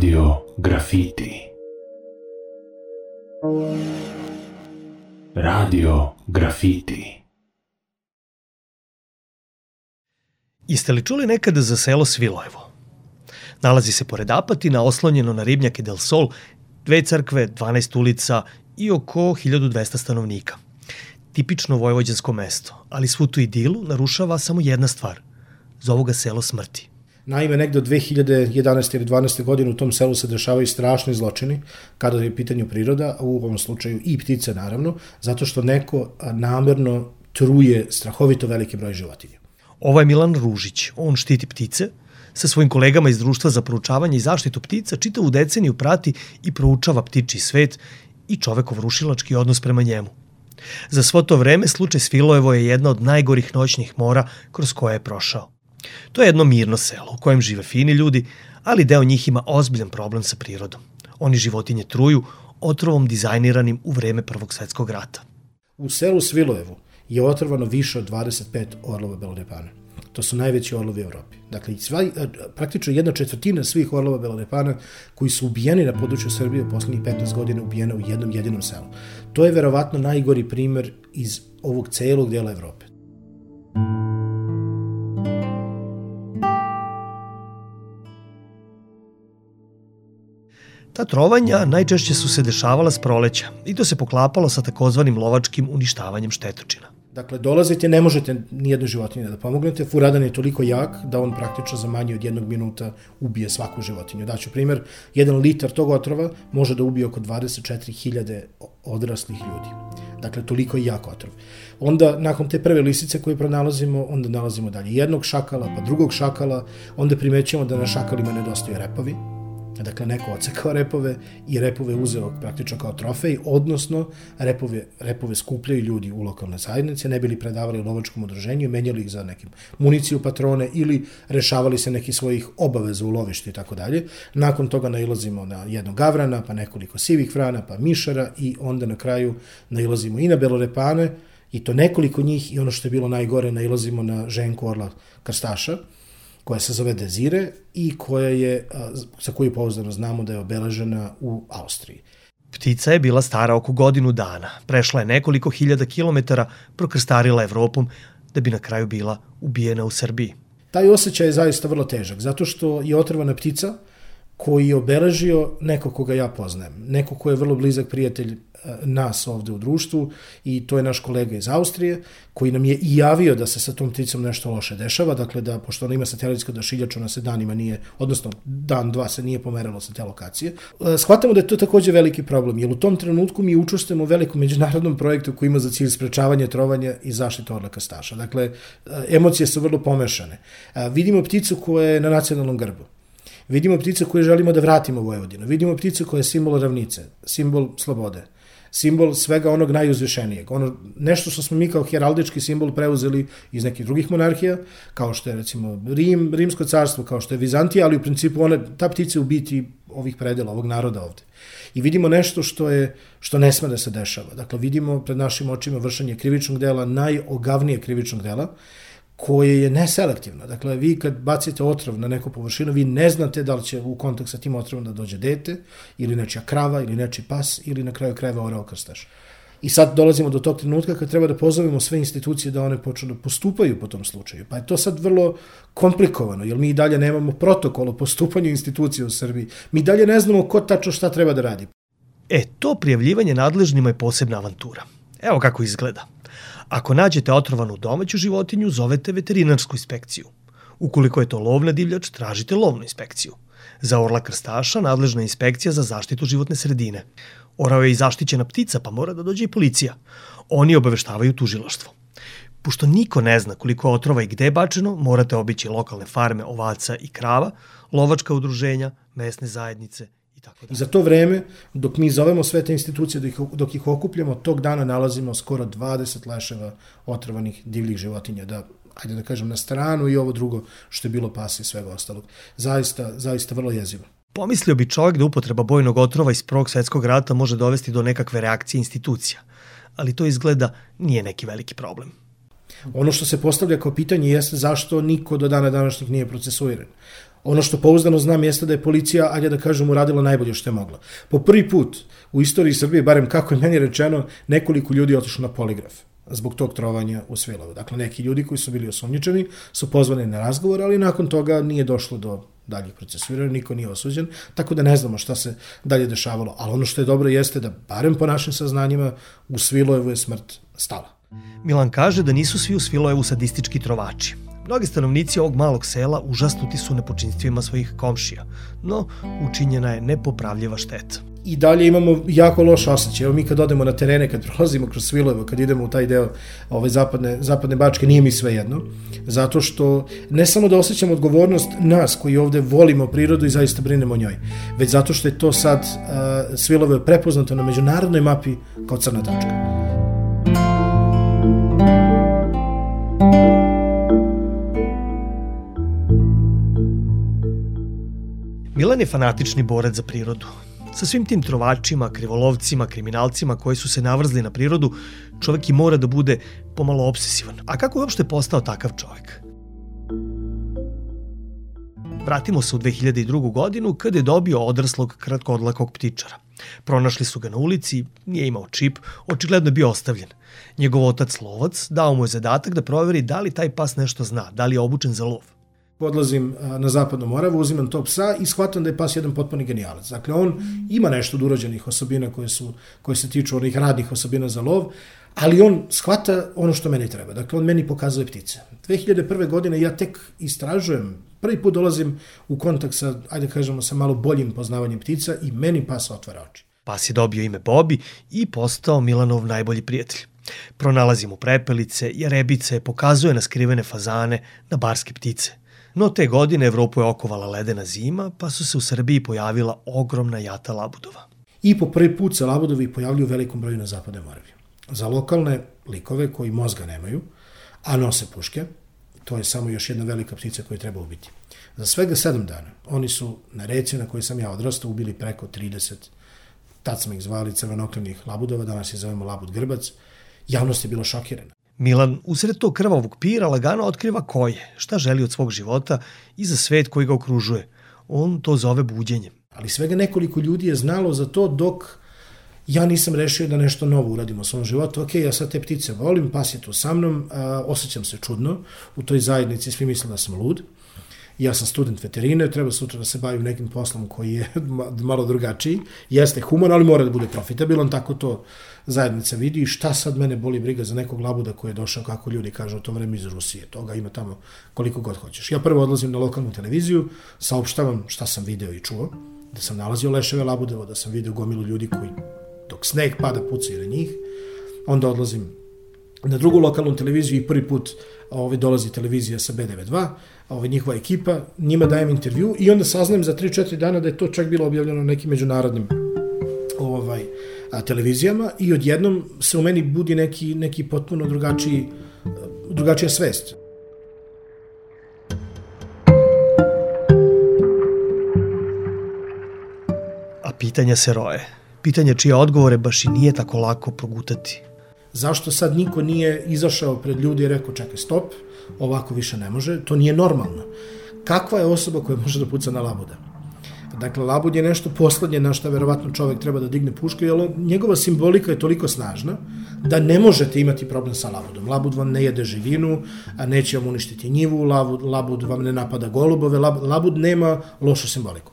Radio Grafiti. Radio Grafiti. Jeste li čuli nekada za selo Svilojevo? Nalazi se pored Apatina, oslonjeno na ribnjake Del Sol, 2 crkve, 12 ulica i oko 1200 stanovnika. Tipično vojvođansko mesto, ali svu tu idilu narušava samo jedna stvar. Zovu ga selo smrti. Naime, negde od 2011. ili 2012. godine u tom selu se dešavaju strašni zločini kada je pitanju priroda, a u ovom slučaju i ptice naravno, zato što neko namerno truje strahovito veliki broj životinja. Ovo je Milan Ružić, on štiti ptice, sa svojim kolegama iz Društva za proučavanje i zaštitu ptica čitavu deceniju prati i proučava ptičji svet i čovekov rušilački odnos prema njemu. Za svo to vreme slučaj Svilojevo je jedna od najgorih noćnih mora kroz koje je prošao. To je jedno mirno selo u kojem žive fini ljudi, ali deo njih ima ozbiljan problem sa prirodom. Oni životinje truju otrovom dizajniranim u vreme Prvog svetskog rata. U selu Svilojevu je otrovano više od 25 orlova belorepana. To su najveći orlovi u Evropi. Dakle, praktično 1/4 svih orlova belorepana koji su ubijeni na području Srbije u poslednjih 15 godina ubijena u jednom jedinom selu. To je verovatno najgori primer iz ovog celog dela Evrope. Ta trovanja najčešće su se dešavala s proleća i to se poklapalo sa takozvanim lovačkim uništavanjem štetočina. Dakle, dolazite, ne možete nijednu životinju da pomognete, furadan je toliko jak da on praktično za manje od 1 minuta ubije svaku životinju. Daću primer, 1 litar tog otrova može da ubije oko 24.000 odraslih ljudi. Dakle, toliko je jak otrov. Onda, nakon te prve lisice koje pronalazimo, onda nalazimo dalje jednog šakala, pa drugog šakala, onda primećujemo da na šakalima nedostaju repovi. Dakle, neko ocekao repove i repove uzeo praktično kao trofej, odnosno repove skupljaju ljudi u lokalne zajednice, ne bili predavali lovačkom udruženju i menjali ih za nekim municiju, patrone ili rešavali se nekih svojih obaveza u lovištu i tako dalje. Nakon toga nailazimo na jednog gavrana, pa nekoliko sivih vrana, pa mišara i onda na kraju nailazimo i na belorepane, i to nekoliko njih, i ono što je bilo najgore, nailazimo na ženku orla krstaša, koja se zove Dezire i za koju pouzdano znamo da je obeležena u Austriji. Ptica je bila stara oko godinu dana, prešla je nekoliko hiljada kilometara, prokrstarila Evropom da bi na kraju bila ubijena u Srbiji. Taj osjećaj je zaista vrlo težak, zato što je otrovana ptica koji je obeležio neko koga ja poznajem, neko ko je vrlo blizak prijatelj nas ovde u društvu, i to je naš kolega iz Austrije koji nam je i javio da se sa tom pticom nešto loše dešava, dakle da, pošto ona ima satelitsko odašiljač, ona se danima nije, odnosno dan, dva se nije pomeralo sa te lokacije. Shvatamo da je to takođe veliki problem, jer u tom trenutku mi učestvujemo u velikom međunarodnom projektu koji ima za cilj sprečavanje trovanja i zaštitu orla krstaša. Dakle, emocije su vrlo pomešane. Vidimo pticu koja je na nacionalnom grbu. Vidimo pticu koju želimo da vratimo u Vojvodinu. Vidimo pticu koja je simbol ravnice, simbol slobode, simbol svega onog najuzvišenijeg. Nešto što smo mi kao heraldički simbol preuzeli iz nekih drugih monarhija, kao što je recimo Rimsko carstvo, kao što je Vizantija, ali u principu ta ptica je u biti ovih predela, ovog naroda ovde. I vidimo nešto što ne sme da se dešava. Dakle, vidimo pred našim očima vršenje krivičnog dela, najogavnije krivičnog dela, koje je neselektivno. Dakle, vi kad bacite otrov na neku površinu, vi ne znate da li će u kontakt sa tim otrovom da dođe dete, ili nečija krava, ili nečiji pas, ili na kraju krajeva orao krstaš. I sad dolazimo do tog trenutka kad treba da pozovemo sve institucije da one počnu da postupaju po tom slučaju. Pa je to sad vrlo komplikovano, jer mi i dalje nemamo protokol o postupanju institucije u Srbiji. Mi dalje ne znamo ko tačno šta treba da radi. To prijavljivanje nadležnima je posebna avantura. Evo kako izgleda. Ako nađete otrovanu domaću životinju, zovete veterinarsku inspekciju. Ukoliko je to lovna divljač, tražite lovnu inspekciju. Za orla krstaša nadležna inspekcija za zaštitu životne sredine. Orao je i zaštićena ptica, pa mora da dođe i policija. Oni obaveštavaju tužilaštvo. Pošto niko ne zna koliko otrova i gde je bačeno, morate obići lokalne farme ovaca i krava, lovačka udruženja, mesne zajednice. I za to vreme, dok mi zovemo sve te institucije, dok ih okupljamo, tog dana nalazimo skoro 20 leševa otrovanih divljih životinja, ajde da kažem, na stranu i ovo drugo što je bilo pasa i svega ostalog. Zaista vrlo jezivo. Pomislio bi čovjek da upotreba bojnog otrova iz Prvog svetskog rata može dovesti do nekakve reakcije institucija, ali to izgleda nije neki veliki problem. Ono što se postavlja kao pitanje jeste zašto niko do dana današnjih nije procesuiran. Ono što pouzdano znam jeste da je policija, ajde da kažem, uradila najbolje što je mogla. Po prvi put u istoriji Srbije, barem kako je meni rečeno, nekoliko ljudi je otišlo na poligraf zbog tog trovanja u Svilovu. Dakle, neki ljudi koji su bili osumnjičeni su pozvani na razgovor, ali nakon toga nije došlo do daljih procesuiranja, niko nije osuđen, tako da ne znamo šta se dalje dešavalo. Ali ono što je dobro jeste da, barem po našim saznanjima, u Svilojevu je smrt stala. Milan kaže da nisu svi u Svilojevu sadistički trovači. Mnogi stanovnici ovog malog sela užasnuti su nepočinstvima svojih komšija, no učinjena je nepopravljiva šteta. I dalje imamo jako loš osjećaj. Evo mi kad odemo na terene, kad prolazimo kroz Svilojevo, kad idemo u taj deo zapadne Bačke, nije mi sve jedno. Zato što ne samo da osjećamo odgovornost nas koji ovde volimo prirodu i zaista brinemo o njoj, već zato što je to sad Svilojevo prepoznato na međunarodnoj mapi kao crna tačka. Milan je fanatični borac za prirodu. Sa svim tim trovačima, krivolovcima, kriminalcima koji su se navrzli na prirodu, čovek i mora da bude pomalo obsesivan. A kako je uopšte postao takav čovek? Vratimo se u 2002. godinu kada je dobio odraslog kratkodlakog ptičara. Pronašli su ga na ulici, nije imao čip, očigledno je bio ostavljen. Njegov otac lovac dao mu je zadatak da proveri da li taj pas nešto zna, da li je obučen za lov. Odlazim na Zapadnu Moravu, uzimam tog psa i shvatam da je pas jedan potpuni genijalac. Dakle, on ima nešto od urođenih osobina koje se tiču onih radnih osobina za lov, ali on shvata ono što meni treba. Dakle, on meni pokazuje ptice. 2001. godine ja tek istražujem, prvi put dolazim u kontakt sa, ajde kažemo, sa malo boljim poznavanjem ptica i meni pas otvara oči. Pas je dobio ime Bobi i postao Milanov najbolji prijatelj. Pronalazi mu prepelice, jarebice, pokazuje na skrivene fazane, na barske ptice. No te godine Evropu je okovala ledena zima, pa su se u Srbiji pojavila ogromna jata labudova. I po prvi put se labudovi pojavljuju u velikom broju na Zapadnoj Moravi. Za lokalne likove koji mozga nemaju, a nose puške, to je samo još jedna velika ptica koju treba ubiti. Za svega 7 dana oni su na reci na kojoj sam ja odrastao ubili preko 30, tad smo ih zvali crvenoklenih labudova, danas je zovemo labud grbac. Javnost je bila šokirana. Milan usred tog krvavog pira lagano otkriva ko je, šta želi od svog života i za svet koji ga okružuje. On to zove buđenjem. Ali svega nekoliko ljudi je znalo za to dok ja nisam rešio da nešto novo uradim u svom životu. Ok, ja sad te ptice volim, pas je tu sa mnom, osjećam se čudno. U toj zajednici svi misle da sam lud. Ja sam student veterine, treba sutra da se bavim nekim poslom koji je malo drugačiji. Jeste human, ali mora da bude profitabilan, tako to zajednica vidi. Šta sad mene boli briga za nekog labuda koji je došao, kako ljudi kažu, u to vreme iz Rusije. Toga ima tamo koliko god hoćeš. Ja prvo odlazim na lokalnu televiziju, saopštavam šta sam video i čuo, da sam nalazio leševe labudeva, da sam video gomilu ljudi koji dok sneg pada pucaju na njih. Onda odlazim na drugu lokalnu televiziju i prvi put dolazi televizija sa B92, njihova ekipa, njima dajem intervju i onda saznajem za 3-4 dana da je to čak bilo objavljeno na nekim međunarodnim televizijama i odjednom se u meni budi neki potpuno drugačija svest. A pitanja se roje. Pitanja čije odgovore baš i nije tako lako progutati. Zašto sad niko nije izašao pred ljudi i rekao čekaj stop, ovako više ne može, to nije normalno. Kakva je osoba koja može da puca na labuda? Dakle, labud je nešto poslednje na što verovatno čovek treba da digne pušku, jer njegova simbolika je toliko snažna da ne možete imati problem sa labudom. Labud vam ne jede živinu, a neće vam uništiti njivu, labud vam ne napada golubove, labud nema lošu simboliku.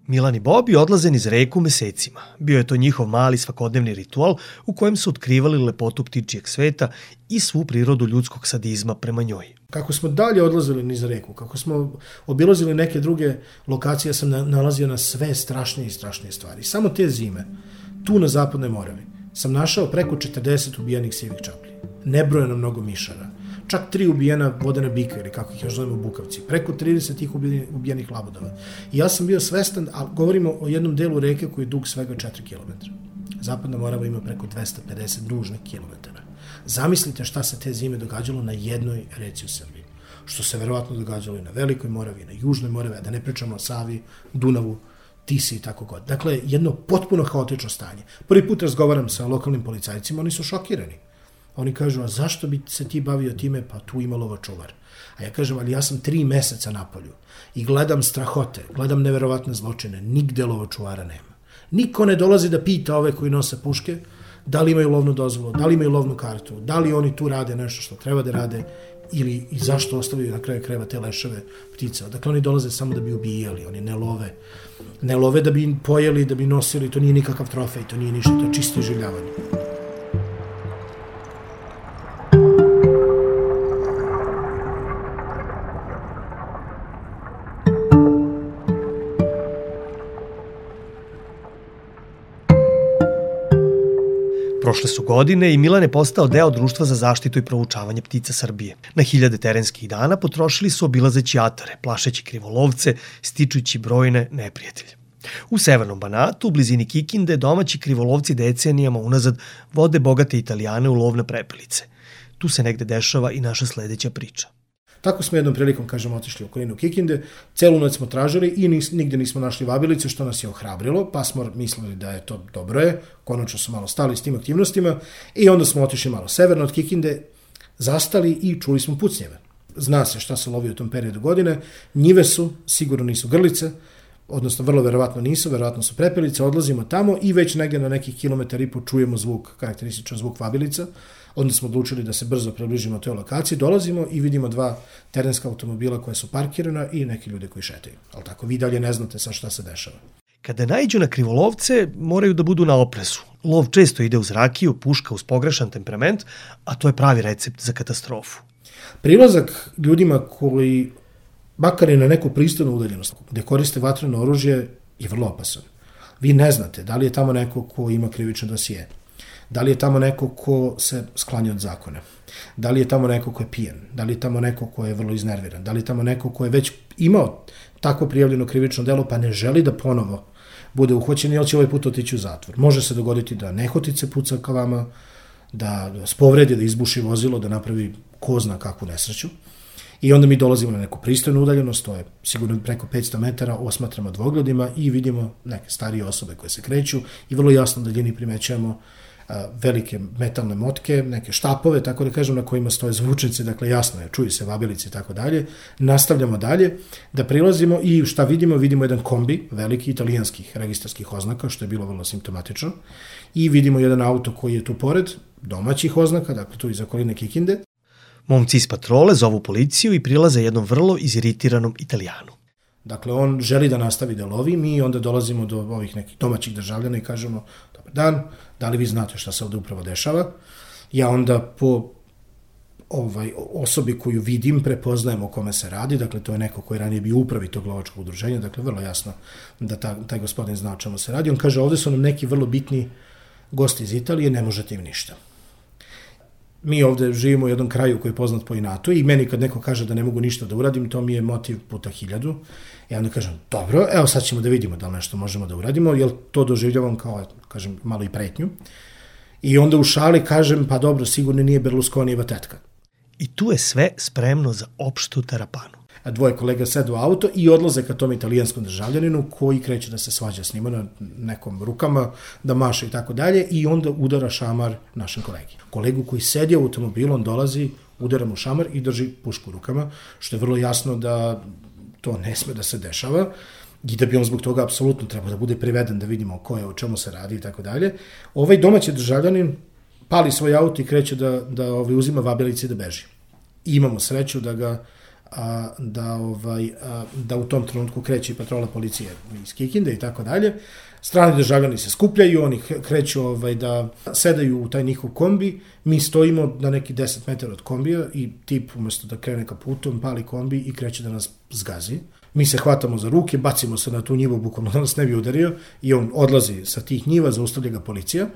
Milan i Bobi odlaze niz reku mesecima. Bio je to njihov mali svakodnevni ritual u kojem su otkrivali lepotu ptičijeg sveta i svu prirodu ljudskog sadizma prema njoj. Kako smo dalje odlazili niz reku, kako smo obilazili neke druge lokacije, ja sam nalazio na sve strašnije i strašnije stvari. Samo te zime, tu na Zapadnoj Moravi, sam našao preko 40 ubijenih sivih čaplji. Nebrojeno mnogo mišara. Čak 3 ubijena vodena bika, ili kako ih još zovemo bukavci, preko 30 tih ubijenih labudova. I ja sam bio svestan, a govorimo o jednom delu reke koji je dug svega 4 km. Zapadna Morava ima preko 250 dužnih kilometara. Zamislite šta se te zime događalo na jednoj reci u Srbiji. Što se verovatno događalo i na Velikoj Moravi, i na Južnoj Moravi, a da ne pričamo o Savi, Dunavu, Tisi i tako god. Dakle, jedno potpuno haotično stanje. Prvi put razgovaram sa lokalnim policajcima, oni su šokirani. A oni kažu, a zašto bi se ti bavio time? Pa tu ima lovočuvar. A ja kažem, ali ja sam 3 meseca na polju i gledam strahote, gledam neverovatne zločine, nigde lovočuvara nema. Niko ne dolazi da pita ove koji nose puške da li imaju lovnu dozvolu, da li imaju lovnu kartu, da li oni tu rade nešto što treba da rade ili i zašto ostavljaju na kraju krajeva te leševe ptica. Dakle, oni dolaze samo da bi ubijali, oni ne love. Ne love da bi pojeli, da bi nosili, to nije nikakav trofej, to nije ništa, to je čisto iživljavanje. Prošle su godine i Milan je postao deo Društva za zaštitu i proučavanje ptica Srbije. Na 1000 terenskih dana potrošili su obilazeći atare, plašeći krivolovce, stičujući brojne neprijatelje. U severnom Banatu, u blizini Kikinde, domaći krivolovci decenijama unazad vode bogate Italijane u lov na prepelice. Tu se negde dešava i naša sledeća priča. Tako smo jednom prilikom, otišli u okolinu Kikinde, celu noć smo tražili i nigde nismo našli vabilice, što nas je ohrabrilo, pa smo mislili da je to dobro je, konačno smo malo stali s tim aktivnostima i onda smo otišli malo severno od Kikinde, zastali i čuli smo pucnjeve. Zna se šta se lovi u tom periodu godine, njive su, sigurno nisu grlice, odnosno vrlo verovatno nisu, verovatno su prepelice, odlazimo tamo i već negdje na nekih 1,5 km čujemo zvuk, karakterističan zvuk vabilica. Onda smo odlučili da se brzo približimo toj lokaciji, dolazimo i vidimo 2 terenska automobila koja su parkirana i neki ljudi koji šetaju. Ali tako, vi dalje ne znate sa šta se dešava. Kada naiđu na krivolovce, moraju da budu na oprezu. Lov često ide uz rakiju, puška uz pogrešan temperament, a to je pravi recept za katastrofu. Prilazak ljudima koji, makar i na neku pristojnu udaljenost, gde koriste vatreno oružje, je vrlo opasan. Vi ne znate da li je tamo neko ko ima krivično dosije, da li je tamo neko ko se sklanja od zakona, da li je tamo neko ko je pijen, da li je tamo neko ko je vrlo iznerviran, da li je tamo neko ko je već imao tako prijavljeno krivično delo pa ne želi da ponovo bude uhvaćen, jer će ovaj put otići u zatvor. Može se dogoditi da nehotice puca ka vama, da vas povredi, da izbuši vozilo, da napravi ko zna kakvu nesreću. I onda mi dolazimo na neku pristojnu udaljenost, to je sigurno preko 500 metara, osmatramo dvogledima i vidimo neke starije osobe koje se kreću i vrlo jasno da daljini primećujemo velike metalne motke, neke štapove, tako da kažem, na kojima stoje zvučnice, dakle jasno je, čuju se vabilice i tako dalje. Nastavljamo dalje da prilazimo i šta vidimo? Vidimo jedan kombi, veliki italijanskih registarskih oznaka, što je bilo vrlo simptomatično, i vidimo jedan auto koji je tu pored, domaćih oznaka, dakle tu iz okoline Kikinde. Momci iz patrole zovu policiju i prilaze jednom vrlo iziritiranom Italijanu. Dakle, on želi da nastavi da lovi, mi onda dolazimo do ovih nekih domaćih državljana i kažemo, dobar dan, da li vi znate šta se ovde upravo dešava? Ja onda po osobi koju vidim prepoznajem o kome se radi, dakle to je neko koji ranije bio upravi tog lovačkog udruženja, dakle vrlo jasno da taj gospodin zna o čemu se radi. On kaže, ovde su nam neki vrlo bitni gosti iz Italije, ne možete im ništa. Mi ovde živimo u jednom kraju koji je poznat po inatu i meni kad neko kaže da ne mogu ništa da uradim, to mi je motiv puta 1000. Ja onda kažem, dobro, evo sad ćemo da vidimo da li nešto možemo da uradimo, jer to doživljavam kao, kažem, malo i pretnju. I onda u šali kažem, pa dobro, sigurno nije Berlusconijeva tetka. I tu je sve spremno za opštu tarapanu. 2 kolega sedu u auto i odlaze ka tom italijanskom državljaninu koji kreće da se svađa s njima na nekom rukama, da maše i tako dalje i onda udara šamar našem kolegi. Kolegu koji sedi u automobilu, on dolazi, udara mu šamar i drži pušku u rukama, što je vrlo jasno da to ne sme da se dešava i da bi on zbog toga apsolutno trebao da bude priveden da vidimo ko je, o čemu se radi i tako dalje. Ovaj domaći državljanin pali svoj auto i kreće da uzima vabilice i da beži. I imamo sreću da u tom trenutku kreće i patrola policije iz Kikinde i tako dalje. Strani državljani se skupljaju, oni kreću da sedaju u taj njihov kombi, mi stojimo na neki 10 metara od kombija i tip umjesto da krene ka putu, on pali kombi i kreće da nas zgazi. Mi se hvatamo za ruke, bacimo se na tu njivu, bukvalno da nas ne bi udario i on odlazi sa tih njiva, zaustavlja ga policija.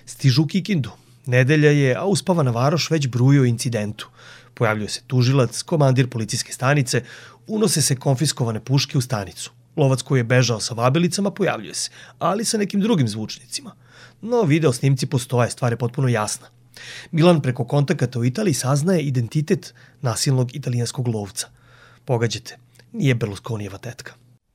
Stižu u Kikindu. Nedelja je, a uspavana varoš već bruje o incidentu. Pojavljuje se tužilac, komandir policijske stanice, unose se konfiskovane puške u stanicu. Lovac koji je bežao sa vabilicama pojavljuje se, ali sa nekim drugim zvučnicima. No, video snimci postoje, stvar je potpuno jasna. Milan preko kontakata u Italiji saznaje identitet nasilnog italijanskog lovca. Pogađate, nije Berlusconijeva tetka.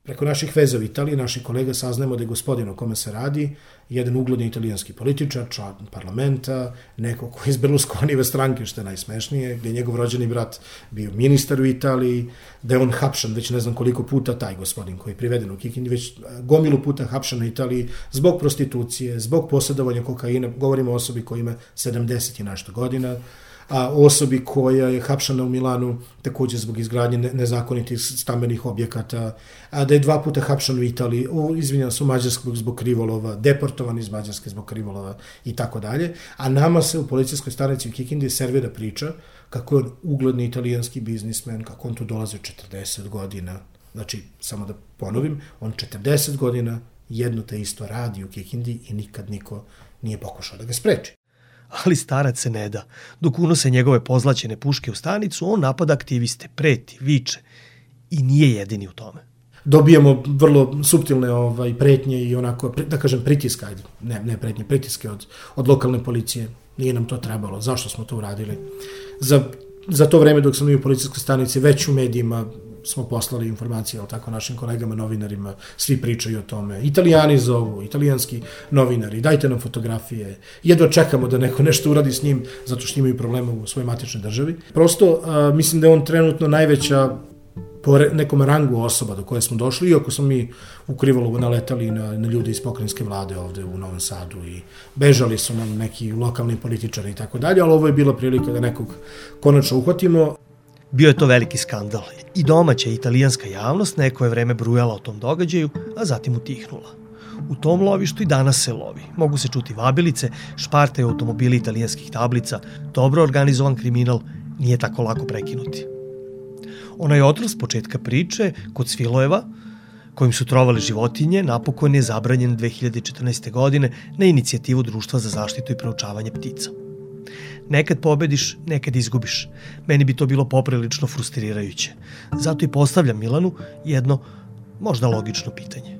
Preko naših veza u Italiji, naših kolega saznajemo da je gospodin o kome se radi jedan ugledni italijanski političar, član parlamenta, neko koji iz Berlusconijeve stranke, što je najsmešnije, gde je njegov rođeni brat bio ministar u Italiji, da je on hapšan već ne znam koliko puta, taj gospodin koji je priveden u Kikindi, već gomilu puta hapšan u Italiji zbog prostitucije, zbog posjedovanja kokaina, govorimo o osobi koja ima 70 i nešto godina, a osobi koja je hapšana u Milanu takođe zbog izgradnje nezakonitih stambenih objekata, a da je 2 puta hapšan u Italiji, izvinjam se, u Mađarskoj zbog krivolova, deportovan iz Mađarske zbog krivolova i tako dalje, a nama se u policijskoj stanici u Kikindi servira priča kako je on ugledni italijanski biznismen, kako on tu dolazi 40 godina, znači, samo da ponovim, on 40 godina jedno te isto radi u Kikindi i nikad niko nije pokušao da ga spreči. Ali starac se ne da. Dok unose njegove pozlaćene puške u stanicu, on napada aktiviste, preti, viče i nije jedini u tome. Dobijamo vrlo suptilne pretnje i onako, da kažem, pritiska, ne pretnje, pritiske od lokalne policije. Nije nam to trebalo. Zašto smo to uradili? Za to vreme dok sam u policijskoj stanici, već u medijima smo poslali informacije, tako, našim kolegama, novinarima, svi pričaju o tome. Italijani zovu, italijanski novinari, dajte nam fotografije, jedva čekamo da neko nešto uradi s njim, zato što imaju problema u svojoj matičnoj državi. Prosto, mislim da je on trenutno najveća po nekom rangu osoba do koje smo došli, iako smo mi u Krivolovu naletali na ljude iz pokrajinske vlade ovde u Novom Sadu i bežali su nam neki lokalni političari i tako dalje, ali ovo je bila prilika da nekog konačno uhvatimo. Bio je to veliki skandal i domaća italijanska javnost neko je vreme brujala o tom događaju, a zatim utihnula. U tom lovištu i danas se lovi. Mogu se čuti vabilice, špartaju automobili italijanskih tablica, dobro organizovan kriminal nije tako lako prekinuti. Onaj otrov s početka priče, kod Svilojeva, kojim su trovali životinje, napokon je zabranjen 2014. godine na inicijativu Društva za zaštitu i proučavanje ptica. Nekad pobediš, nekad izgubiš. Meni bi to bilo poprilično frustrirajuće. Zato i postavljam Milanu jedno, možda logično pitanje.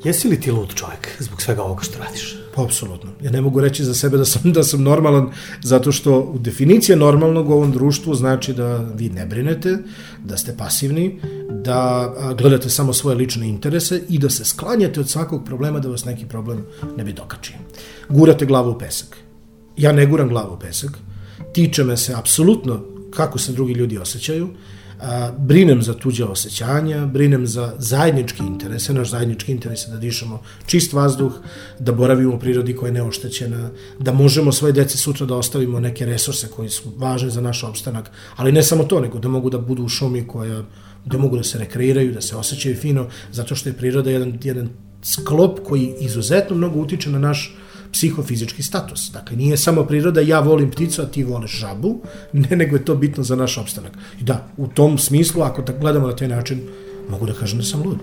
Jesi li ti lud čovjek zbog svega ovoga što radiš? Pa, apsolutno. Ja ne mogu reći za sebe da sam normalan, zato što u definicija normalnog u ovom društvu znači da vi ne brinete, da ste pasivni, da gledate samo svoje lične interese i da se sklanjate od svakog problema da vas neki problem ne bi dokačio. Gurate glavu u pesak. Ja ne guram glavu u pesak. Tiče me se apsolutno kako se drugi ljudi osjećaju. Brinem za tuđe osjećanja, brinem za zajednički interese. Naš zajednički interes je da dišemo čist vazduh, da boravimo u prirodi koja je neoštećena, da možemo svoje deci sutra da ostavimo neke resurse koji su važni za naš opstanak, ali ne samo to, nego da mogu da budu u šumi da mogu da se rekreiraju, da se osjećaju fino, zato što je priroda jedan sklop koji izuzetno mnogo utiče na naš psihofizički status. Dakle, nije samo priroda, ja volim pticu, a ti voliš žabu, ne, nego je to bitno za naš opstanak. I da, u tom smislu, ako gledamo na taj način, mogu da kažem da sam lud.